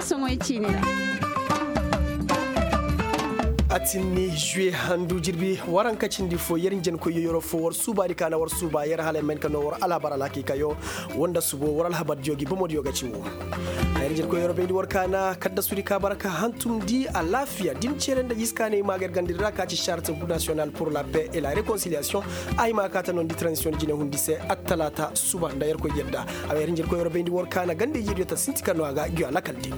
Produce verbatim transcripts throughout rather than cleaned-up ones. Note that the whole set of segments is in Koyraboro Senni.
Soŋoy ciini ra. Atinni juwe handu jirbi waranka cindi fo yer njenkoy yoyoro fo war suubaadi ka na war suuba yer hala ay ma hin ka noo war alhabar alhakiikayo. Woo nda subo war alhabardiyo gi bomodiyo ga ci woo. Yer njenkoy yoyoro bayndi war ka na kaddasudi ka bara ka hantumndi alaafiya din cere nda jiskaanay maa ga yer gandadi ra ka ci charte national pour la paix et la réconciliation. A hima ka ta noondi transition jine hundi se attalaata suba nda yerkoy yadda. A yer njenkoy yoyoro bayndi war ka na ganda-ijediyo ta sinti ka noo a ga ngiyo alakal di.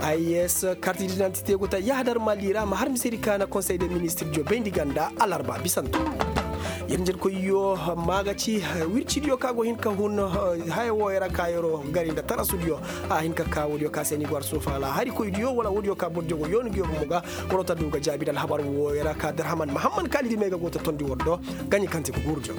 Ay s karti di nantite go ta yahadar mali ra ma har misedi ka na konsey de ministirdiyo bayndi ganda alarba bisanto. Yer njenkoyyo maa ga ci wircidiyo ka go hin ka hun haya wooyo ra ka yeroo gari nda tarasudiyo. A hin ka ka woodiyo ka se ni go har suufa alhaarikoydiyo wala woodiyo ka bordiyo go yooni ngiyo bomo ga. Waroo ta du ga jaabi nda alhabar wooyo ra ka darhaman mahamman kaalidi may ga go ta tondi war do. Gaɲi kaŋ te ga guuru diyo.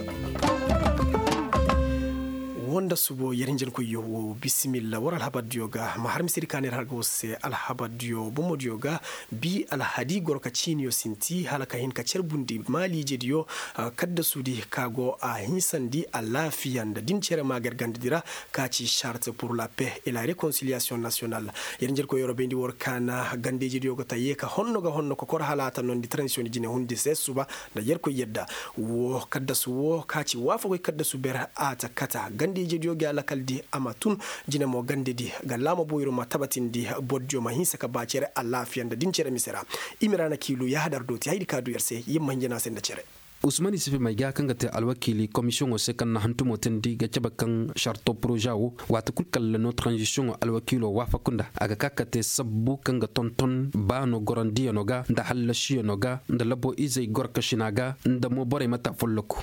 Woo nda subo yer hinjankoyyo woo bisimilla war alhabardiyo ga ma har misedi ka neer har ga war se alhabardiyo bomodiyo ga. Bi alhadi goro ka ciiniyo sinti hala ka hin ka carbundi maaliijediyo. Kaddasudi ka go a hinsandi alaafiya nda din cere maa ga yer gandadi ra. Ka ci charte pour la paix et la réconciliation national. Yer njerkoy yorobayndi war ka na gandeyjediyo go ta yee ka honno ga honno kokor hala a ta noondi transition di jine hundi se suba. Nda yerkoy yadda woo kaddasu woo ka ci waafakoy kaddasu ber a ta kata gandeyjediyo ga alakal di a ma tun. Jine mo gandedi ga laama boyro ma tabatindi bordiyo ma hinsa ka ba cere alaafiya nda din cere mise ra. I ma ra na kiilu yaahadar dooti haydi ka du yer se yer ma hin jana se nda cere. Usman isifi may ga kaŋ ga te alwakiili komisiyoŋo se kaŋ na hantumo teendi ga cabe kaŋ sarto poroza wo waati kul kaŋ la no taranzisiyoŋo alwakiilo waafaku nda a ga ka ka te sabbu kaŋ ga tonton baano gorandiyanoo ga nda hallasiyano ga nda labo izey gorkasina ga nda mo borey mata folloku.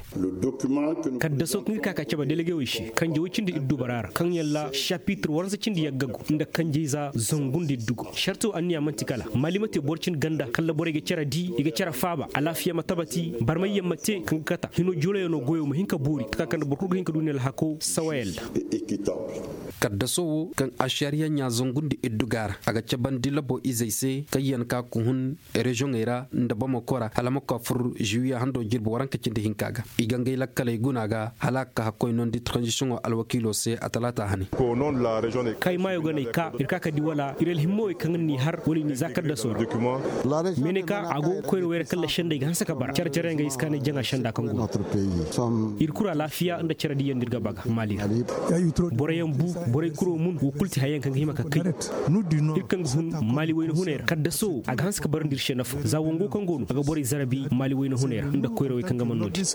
Kaddaso kaŋ ir ka ka cabe delegewey se kanjewey cindi ir dubara ra kaŋ yalla sapitir waransa cindi yaggagu nda kanjey za zangu nda ir dugu sarto anniya man'ti kala mali ma te boro cindi ganda kala borey ga care di i ga care faaba alaafiya ma tabati barmayyaŋ ma te kaŋ ga kata hino joloyanoo goyo ma hin ka boori taka kaŋ nda boro kul ga hin ka du ni alhako sawayaŋ ra. Kaddaso wo kaŋ ašariya ɲaa zangu nda ir duga ra a ga cabandi labo izey se kaŋ yaŋ ka ga hun reziyoŋey ra nda bamako ra hala ma koy a fur ziwiya hando jirbi waranka cindi hinka ga i ga ngey lakkaley guna ga hala a ga ka hakkoy noondi taranzisiyoŋo alwakiilo se a talaata hane. Kaŋ ay maayo ga no ay ka ir ka ka di wala ir alhimmawey kaŋ ni har wala i n'i za kaddasoo ra. Meeneka a go koyrawey ra kaŋ la sendey ga hanse ka bara care care yaŋ ga ay si ka ne jaŋa senda kaŋ go no ir kuru alaafiya nda care diyaŋ no ir ga ba ga maali ra. Boroyaŋ bu borey kuro mun wo kul ti haya yaŋ kaŋ ga hima ka kay ir kaŋ ga hun maali wayna huney ra kaddaso a ga hanse ka barandi ir se nafa za wango kaŋ go no a ga borey zarabi maali wayna huney ra nda koyrawey kaŋ ga man no-din.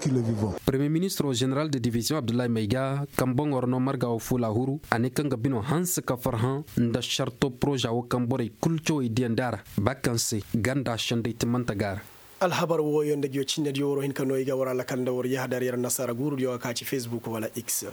Premiyer ministiro ženeral de diviziyoŋ abdullahi mayga kaŋ boŋo ra no marga wo fuula huru a ne kaŋ ga bino hanse ka farhã nda sarto poroza wo kaŋ borey kul cawey diyandi a ra ba kaŋ se ganda sendey timmante ga a ra. Alhabar wooyo nda ngiyo cinnediyo war hin ka no i ga war alakal nda war yahadar yer nasaara guurudiyo ga ka ci fesbuk wala x.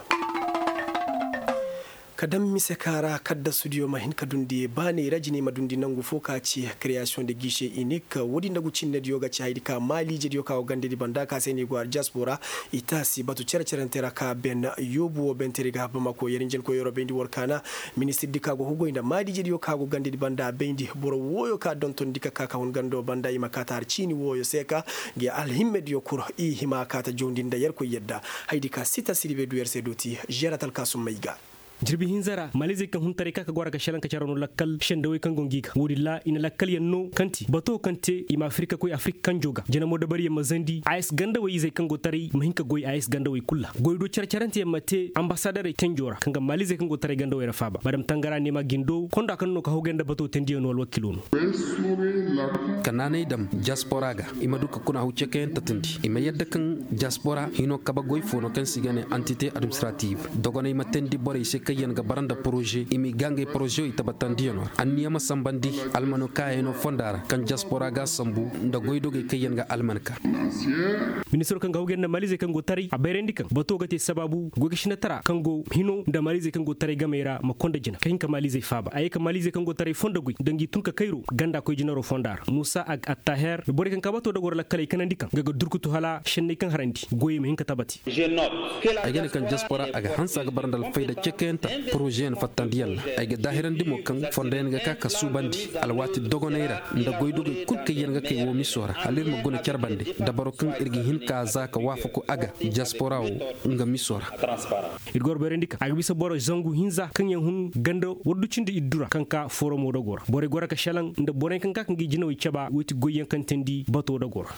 Ka daŋ mise ka ra kaddasudiyo ma hin ka dundi baaney ra jiney ma dundi nangu fo ka ci kereyasiyoŋ de giise inik woodi nda ngu cinnediyo ga ci hayadi ka maaliijediyo ka go gandedi banda ka se no i go har diyaspora. I taasi batu cere-cerante ra ka ben yoobu wo benteri ga bamako yer njenkoy yorobayndi war ka na ministirdi ka go hugoy nda maaliijediyo ka go gandedi banda a bayndi boro wooyo ka dontondi ka ka ka hun gando banda i ma kaata har ciini wooyo se ka ngi alhimmediyo kul i hima kaata jawndi nda yerkoy yadda. Hayadi ka sita siribe du yer se dooti žerat alkaasum may ga. Jirbi hinza ra maalizey kaŋ hun taray ka ka go a ra ga šelaŋ ka cere no lakkal sendawey kaŋ go ngi ga woodin ra i na lakkalyaŋ no kaŋ ti bato kaŋ te i ma afirika koy afirika kanjo ga jina mo dabariyaŋ ma zandi a s gandawey izey kaŋ go taray ma hin ka goy a s gandawey kul ra goy do cere-ceranteyaŋ ma te ambasadarey tenjo ra kaŋ ga maalizey kaŋ go taray gandawey ra faaba madam tangara neema gindo konda kaŋ no ka hawgay nda bato tendiyaŋo alwakiilo no. Ka naanay dam diaspora ga i ma du ka kuna haw ceekayaŋ tatandi i ma yadda kaŋ diaspora hino kabe goy fo no kaŋ se i ga ne antite administrative dogoney ma teendi borey se kaŋ yaŋ ga bara nda poroze i m'i ga ngey porozewey tabatandiyano ra anniya ma sambandi almano kaayaŋo fonda ra kaŋ diaspora ga a sambu nda goydogey kaŋ yaŋ ga alman ka. Ministiro kaŋ ga hawgay nda maalizey kaŋ go taray a bayrandi kaŋ bato ga te sabaabu goy ga sinatara kaŋ go hino nda maalizey kaŋ go taray gamey ra ma konda jina ka hin ka maalizey faaba a ye ka maalizey kaŋ go taray fondo goy nda ngi tun ka kayro ganda koy jinaro fonda ra. Attaher borey kaŋ ka bato dogoro lakkaley kanandi kaŋ nga ga durkutu hala šenney kaŋ harandi goyey ma hin ka tabati. Ay ga ne kaŋ diaspora a ga hanse a ga bara nda alfayda cekayanta porozeyaŋ fattandiyaŋ ra. Ay ga daahirandi mo kaŋ fondoyaŋ ga ka ka suubandi alwaati dogoney ra nda goydogey kul kaŋ yaŋ ga kay woo miso ra hala ir ma guna care bande dabaro kaŋ ir ga hin ka za ka waafaku a ga diaspora woo nga miso ra. Ir goro bayrandi kaŋ a ga bisa boro zangu hinza kaŋ yaŋ hun ganda waddu cindi iddu ra kaŋ ka foromo dogo ra borey goro ka šelaŋ nda borey kaŋ ka ka ngi jinawey caba woy ti goyyaŋ kaŋ teendi bato dogo ra.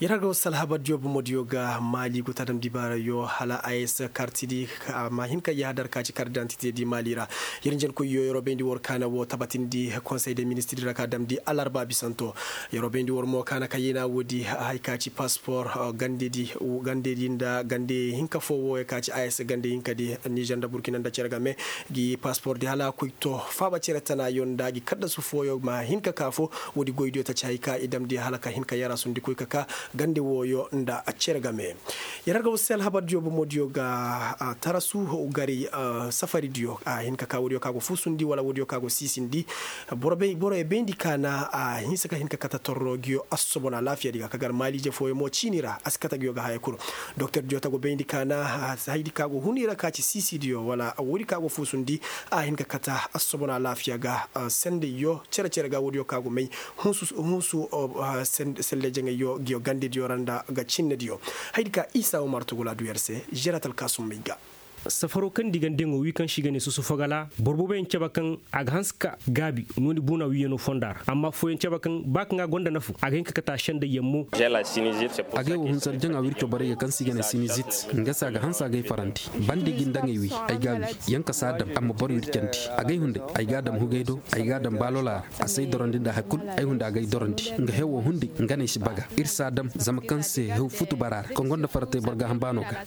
Yer har ga wasu alhabar diyo bomo diyo ga maali go ta dam dibaarayo hala a s karti di ma hin ka yahadar ka ci kardantite di maali ra. Yer njen koyyo yeroo bayndi war kaana wo tabatindi konsey de ministiri ra ka damndi alarba bisanto. Yeroo bayndi war mo kaana ka yena woodi hay ka ci paspor gande di nda gande hinka fo wo ya ka ci a s gande hinka di nizer nda burkina nda cere game gi paspor di hala koy to faaba cere tana yo nda gi kaddasu fooyo ma hin ka ka fo. Woodi goydiyo taci hay ka i damndi hala ka hin ka yara sundi koy ka ka gande wooyo nda cere game. Yer har ga wasu se alhabar diyo bomo diyo ga tarasu garay safari diyo a hin ka ka woodiyo ka go fuusundi wala woodiyo ka go siisindi. Boro ye bayndi ka na a hinsa ka hin ka kate torro nguyo assobon alaafiya di ga ka gar maaliije fooyaŋ mo ciini ra a si kate nguyo ga haya kulu. Doktor diyo ta go bayndi ka na hayadi ka go hun i ra ka ci siisidiyo wala woodi ka go fuusundi a hin ka kate assobon alaafiya ga sendayyo cere-cere ga woodiyo ka go may hunsu hunsu. Selle jaŋayyo nguyo gandediyo ra nda ga cinnediyo. Hayadi ka isa umar tugula du yer se žerat alkaasummay ga. Safaro kaŋ di gandeŋo wi kaŋ se i ga ne susufagala boro booboyaŋ cabe kaŋ a ga hanse ka gaabi nooni buuna wiyanoo fonda ra amma affooyaŋ cabe kaŋ ba kaŋ a gonda nafu a ga hin ka kate a sendayyaŋ mo. Agay wo hunsar jaŋa wirco borey ga kaŋ se i ga ne sinizit nga se a ga hanse agay farandi bandi ga i nda ngey wi. Ay ga a wi yaŋ ka si a dam amma boro wircandi agay hunday ay ga a dam hugay do ay ga a dam baalola ra. A si ay dorandi nda hari kul ay hunday agay dorandi nga hewo hunday nga no ay si baga ir si a dam zama kaŋ se hew futu bara ra kaŋ gonda faratey boro gaaham baano ga.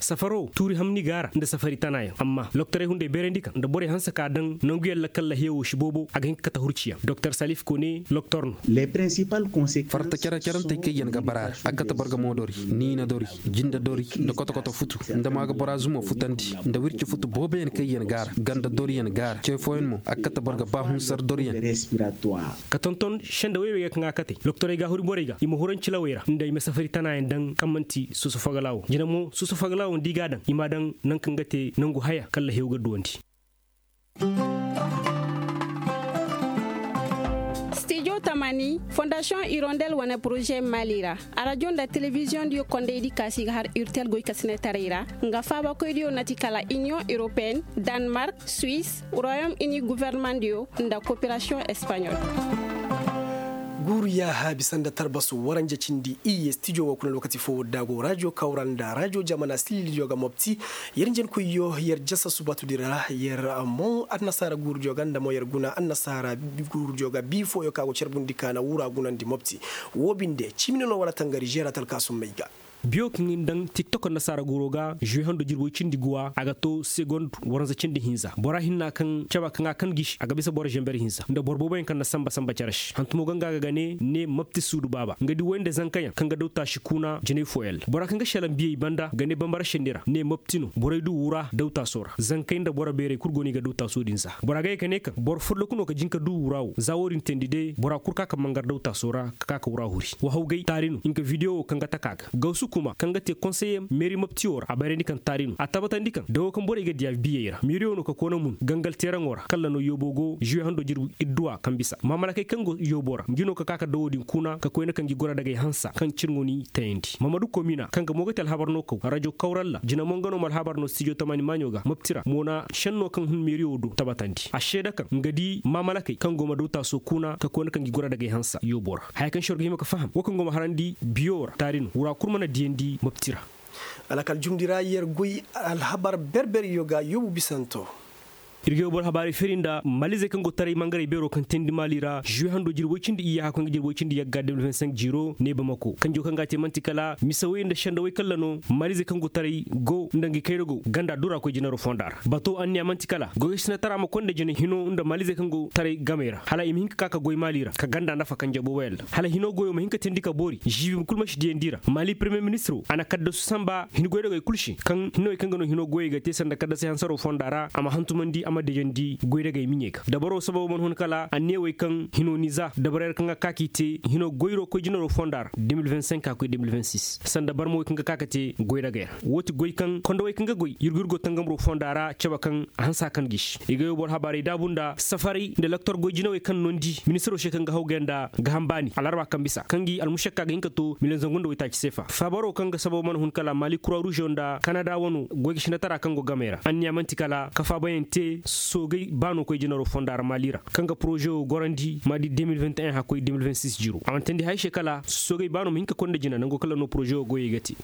Safaro tuuri hamni ga a ra nda safari tanayaŋ amma loktorey hunday bayrandi kaŋ nda borey hanse ka daŋ nanguyaŋ ra kalla hewo si boobo a ga hin ka kate hurciyaŋ doktor salif kone loktor no. Farta care carantey kaŋ yaŋ ga bara a ra a ga kate boro ga moodori niina dori jinde dori nda koto-koto futu nda maaga bora zumo futandi nda wirci futu booboyaŋ kaŋ yaŋ ga a ra ganda doriyaŋ ga a ra ce fooyaŋ mo a ga kate boro ga ba hunsar doriyaŋ. Ka tonton senda wey wey ga kaŋ a kate loktorey ga huri borey ga i ma huranci lawey ra nda i ma safari tanayaŋ daŋ kaŋ man'ti susu fagala wo jina mo susu fagala wo nda i ga a daŋ i m'a daŋ nangu kaŋ ga te nangu haya kalla hew ga duwandi. Stijo tamani fondasiyoŋ irondel wane poroze maali ra. Arajo nda telebiziyoŋ diyo kondaydi kaasi ga har urtel goykasinetaray ra nga faabakoydiyo na ti kala iniyoŋ europeen, danmark, suwis, royom ini gofornamaŋ diyo nda koperasiyoŋ espaɲol. Guuru yaaha bisa nda tarbasu waranja cindi iyye stijo wo kuna lokaci fo wadda go rajo kawra nda rajo jamana sililidiyo ga mopti. Yer njenkoyyo yer jasa subatudi ra yer moŋ annasaara guurudiyo ga nda mo yer guna annasaara guurudiyo ga bii fooyo ka go carbundi ka na wura gunandi mopti. Woo binde cimino no wala tangari žeera talkaasummey ga. Biyo kaŋ i na daŋ tiktok annasaara guuro ga žuwe hando jirbi woy cindi guwa a ga to segond waranza cindi hinza bora hinna kaŋ caba kaŋ a kan gisi a ga bisa boro žember hinza nda boro booboyaŋ kaŋ na samba samba care se hantumo ga nga ga ne ne mapti suudu baaba nga di woy nda zankayaŋ kaŋ ga daw taasi kuna jinay fooyaŋ ra bora kaŋ ga šelaŋ biyey banda ga ne bambara šenni ra ne mapti no borey du wura daw taaso ra zankey nda boro beerey kul go no i ga daw taaso din za bora ga ye ka ne kaŋ boro folloku no ka jin ka du wura wo za wo-din teendi day bora kul ka ka mangar daw taaso ra ka ka ka wura huri wahawgay taari no nga video wo kaŋ ga taka ga gawsu kuma kaŋ ga te konseye meeri maptiyo ra a bayrandi kaŋ taari no a tabatandi kaŋ dawo kaŋ borey ga diya biyey ra meeriyo no ka koona mun gangal teeraŋo ra kalla no yoobo go žuwe hando jirbi idduwa kaŋ bisa maamalakey kaŋ go yoobo ra ngi no ka ka ka dawo din kuna ka koyna kaŋ gi gora dagay hansa kaŋ cirŋo ni tayandi mamadu komina kaŋ ga mo ga te alhabar no kaw rajo kawralla jina mo nga no ma alhabar no stijo tamani maaɲo ga mapti ra mo na šenno kaŋ hun meeriyo do tabatandi a seeda kaŋ nga di maamalakey kaŋ go ma daw taaso kuna ka koyna kaŋ gi gora dagay hansa yoobo ra haya kaŋ se war ga hima ka faham wo kaŋ go ma harandi biyo ra taari no wura kul mana diyandi mapti ra. Alakal jumndi ra yer goy alhabar berberyo ga yoobu bisanto. Ir ga yoobu alhabaarey feri nda maalizey kaŋ go taray mangarey beero kaŋ teendi maali ra žuwe hando jirbi woy cindi iyya hakkoy nga jirbi woy cindi yagga de mil vingt cinq jiiro ne bamako kanjo kaŋ ga a te man'ti kala mise woy nda senda woy kalla no maalizey kaŋ go taray go nda ngi kayra go ganda dura koy jinaro fonda ra bato anniya man'ti kala goy ga sinatara ma konda jina hino nda maalizey kaŋ go taray gamey ra hala i ma hin ka ka ka goy maali ra ka ganda nafa kanje booboyaŋ ra hala hino goyo ma hin ka teendi ka boori žiibi kul ma si diyandi ra maali premiyer ministiro a na kaddasu samba hin goydogey kul se kaŋ hinowey kaŋ ga no hino goyey ga te sanda kaddasey hansaro fonda ra a ma hantumandi. Ma dejandi goy dagay miɲey ga dabaro sababo mana hun kala anniyawey kaŋ hino niza dabarey ra kaŋ ga ka k'i te hino goyro koy jinaro fonda ra. Sanda barmawey kaŋ ga ka ga te goy dagay ra woo ti goy kaŋ kondowey kaŋ ga goy yurgu yurgo tangamro fonda ra cabe kaŋ a hanse hakan gisi i ga yoo boro habaarey daabu nda safaray nda loktor goy jinawey kaŋ nondi ministiro se kaŋ ga hawgay nda gahambaani alarba kaŋ bisa kaŋ gi almušakka ga hin ka to miliyoŋ zangu nda waytaaci seefa faabaro kaŋ ga sababo mana hun kala maali kura ruuzo nda kanada wano goy ga sinatara kaŋ go gamey ra anniya man'ti kala ka faabayaŋ te soogay baano koy jinaro fonda ra maali ra kaŋ ga poroze wo gorandi maadi de mil vingt et un hakkoy de mil vingt six jiro a mana teendi hay se kala soogay baano ma hin ka koy nda jina nango kala no poroze wo goyey ga te.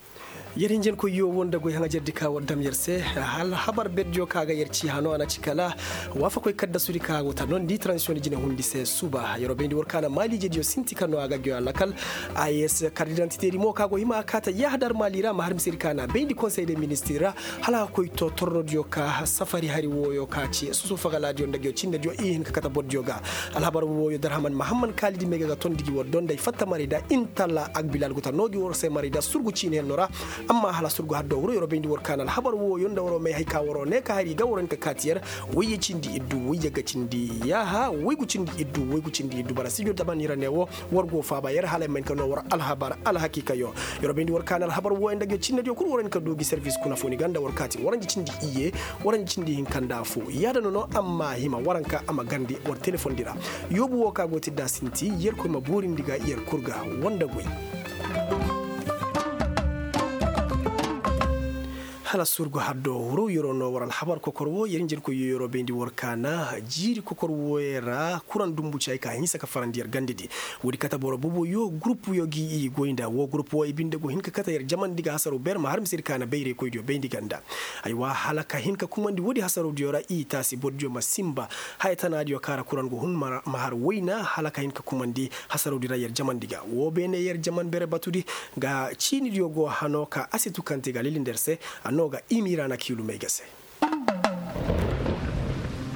Yer hinjankoyyo wo nda goy haŋajerdi ka war dam yer se. Alhabar berdiyo ka ga yer ci hano a na ci kala waafakoy kaddasudi ka go ta nondi tranzisiyoŋ jine hundi se suba yeroo bayndi war ka na maaliijediyo sinti ka no a ga goy a lakal. Ay s kardidantitedi mo ka go hima a kaata yahadar maali ra ma har misedi ka na bayndi konsey de ministir ra hala a ga koy to tornodiyo ka safari hari wooyo ka ci susu fagalaadiyo nda goyo cinnediyo i hin ka kate bordiyo ga. Alhabar wooyo darhaman mahamman kaalidi may ga ga tondi gi war donday fatta maray da intalla agbilal guta no gi war se maray da surgu ciiniyanno ra. Amma hala surgu haddo wuro yeroo bayndi war ka na alhabar wooyo nda waroo may hay ka waroo ne ka hari ga waroo hin ka kaati yer. Wayye cindi iddu wayye ga cindi yaaha waygu cindi iddu waygu cindi iddu bara sijo daban ira ne wo. War go faaba yer hala ay ma hin ka noo war alhabar alhakiikayo. Yeroo bayndi war ka na alhabar wooyo nda goyo cinnediyo kul war hin ka du gi servis kuna fo ni ga nda war kaati waranji cindi iyye. Waranji cindi hinka nda fo yaada no no amma hima waranka a ma garndi war telefondi ra. Yoobu woo ka go ti da sinti yerkoy ma boorindi ga yer kul ga. Woo nda goy. Hala surgu haddo wuro yeroo no war alhabar kokor woo yer njerkoy yo yeroo bayndi war ka na jiiri kokor wooyo ra kuraŋ dumbu ci hay ka hinsa ka farandi yer gandedi. Woodi kate boro boboyo gurupuyo gi i goy nda woo gurupu woo i binde go hin ka kate yer jamandi ga hasaro ber ma har misedi ka na bayraykoydiyo bayndi ganda. Aywa hala ka hin ka kumandi woodi hasarawdiyo ra i taasi bordiyo ma sinba. Haya tanaadiyo kaŋ ra kuraŋ go hun ma har wayna hala ka hin ka kumandi hasarawdi ra yer jamandi ga woo beene yer jaman bere batudi. Ga ciinidiyo go hano ka asitu kaŋ te ga lilindi yer se. A no ga imiira na kiilumey ga se.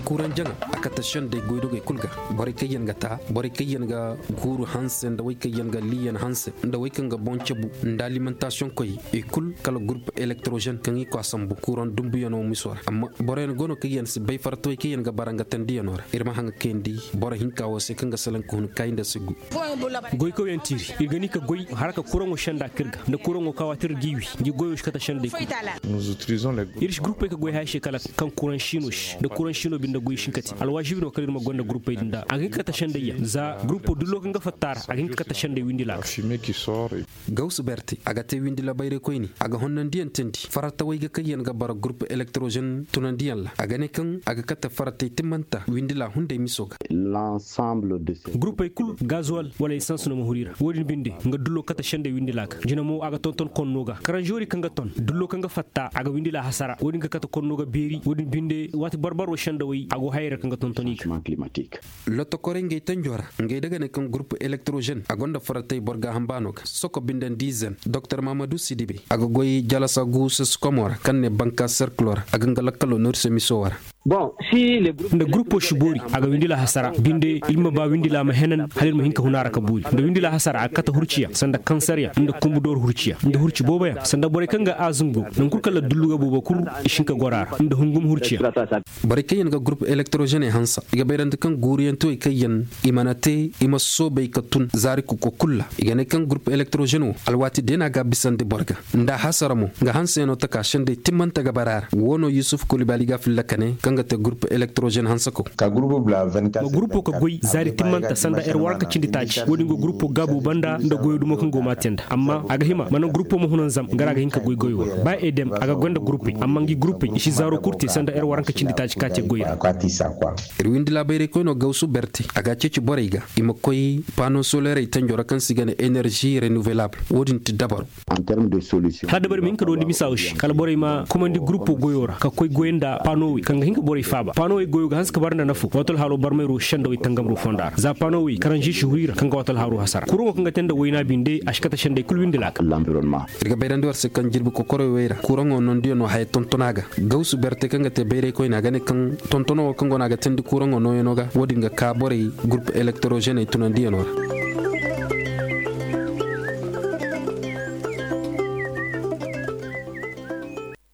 Kuranjaŋa a kate sendey goydogey kul ga. Borey kaŋ yaŋ ga ta borey kaŋ yaŋ ga guuru hanse nda wey kaŋ yaŋ ga liiyan hanse nda wey kaŋ ga boŋ cabu nda alimentasiyoŋ koy i kul kala gurup elektrozen kaŋ i ko a sambu kuraŋ dumbuyaŋo miso ra amma boroyaŋ go no kaŋ yaŋ si bay fartawey kaŋ yaŋ ga bara nga tandiyaŋo ra ir ma haŋa kayandi boro hinka wo se kaŋ ga salaŋ ka hun kaayi nda siggu. Goykawyaŋ tiiri ir ga ni ka goy har ka kuraŋo senda ka ir ga nda kuraŋo ka waati ir g'i wi ngi goyo si kate sendey kul. Ir si gurupey ka goy haya se kala kaŋ kuraŋ siino se nda kuraŋ siino binde goy si hin ka te alwaazibi no kala ir ma gonda gurupey din da a ga hin ka kate sendey yaŋ za gurupo dullo kaŋ ga fatta a ra a ga hin ka kate sendey windi laaka. Gawsu berte a ga te windi la bayraykoyni a ga honnandiyaŋ teendi faratawey ga kaŋ yaŋ ga bara gurup elektrozen tunandiyaŋ ra a ga ne kaŋ a ga kate faratey timmanta windi la hunday miso ga. Gurupey kul gazuwal wala esans no ma huru i ra wo-din binde nga dullo kate sendey windi laaka jina mo a ga tonton konno ga karanzori kaŋ ga ton dullo kaŋ ga fatta a ga windi la hasara wo-din ga kate konno ga beeri wo-din binde waati barbaro sendawey a go hayey ra kaŋ ga tonton i ga. Lotokorey ngey tanjo ra ngey da ga ne kaŋ gurup elektrozen a gonda faratey boro gaaham baano ga soko bindandi zen doktor mamadu sidibe a ga goy jalasa gu sasikomo ra kaŋ ne banka serkilo ra a ga nga lakkalo noori se miso wo ra. Nda gurupo si boori a ga windila hasara binde ir ma ba windila ma henan hala ir ma hin ka huna ra ka boori nda windila hasara a ga kate hurciya sanda kansaryaŋ nda kumbu dooru hurciya nda hurci booboyaŋ sanda borey kaŋ ga a zungo naŋ kul kaŋ la dullu ga boobo kul i si hin ka goro a ra nda hungum hurciya. Borey kaŋ yaŋ ga gurup elektorozene hansa i ga bayrandi kaŋ guuriyaŋ te wey kaŋ yaŋ i mana te i ma soobay ka tun zaari kuko kul ra i ga ne kaŋ gurup elektorozene wo alwaati day no a ga a bisandi boro ga nda a hasara mo nga hanseyaŋo taka sendey timmante ga bara a ra woo no yusuf kulibali ga a filla ka ne kaŋ ga te gurup elektorozene hansakow. Ma gurupo ka goy zaari timmante sanda yer waranka cindi taaci wo-din go gurupo gaabu banda nda goyo dumo kaŋ go maate nda amma a ga hima mana gurupo ma huna nzam nga ra a ga hin ka goy goyo ra ba edem a ga goy nda gurupey amma ngi gurupey i si zaaro kul te sanda yer waranka cindi taaci ka te goy ra. Ir windi laabayraykoyno gawsu berte a ga a ceeci borey ga i ma koy pano solerey tanjo ra kaŋ se i ga ne enerzi renouvelaabul wo-din ti dabaro. Hala dabari ma hin ka doondi misa wo se kala borey ma komandi gurupo goyo ra ka koy goy nda panowey kaŋ ga hin ka borey faaba panowey goyo ga hanse ka bara nda nafo waati alhaalo barmayro sendawey tangamro fonda ra za panowey karanzi si huru i ra kaŋ ga waati alhaalo hasara kuraŋo kaŋ ga te nda wayna binde a si kate sendey kul windi laaka. Ir ga bayrandi war se kaŋ jirbi kokorowey ra kuraŋo nondiyaŋo haya tonton a ga gawsu berte kaŋ ga te bayraykoyne a ga ne kaŋ tontono wo kaŋ go no a ga teendi kuraŋo nooyaŋo ga wo-din ga ka borey gurup elektorozene tunandiyaŋo ra.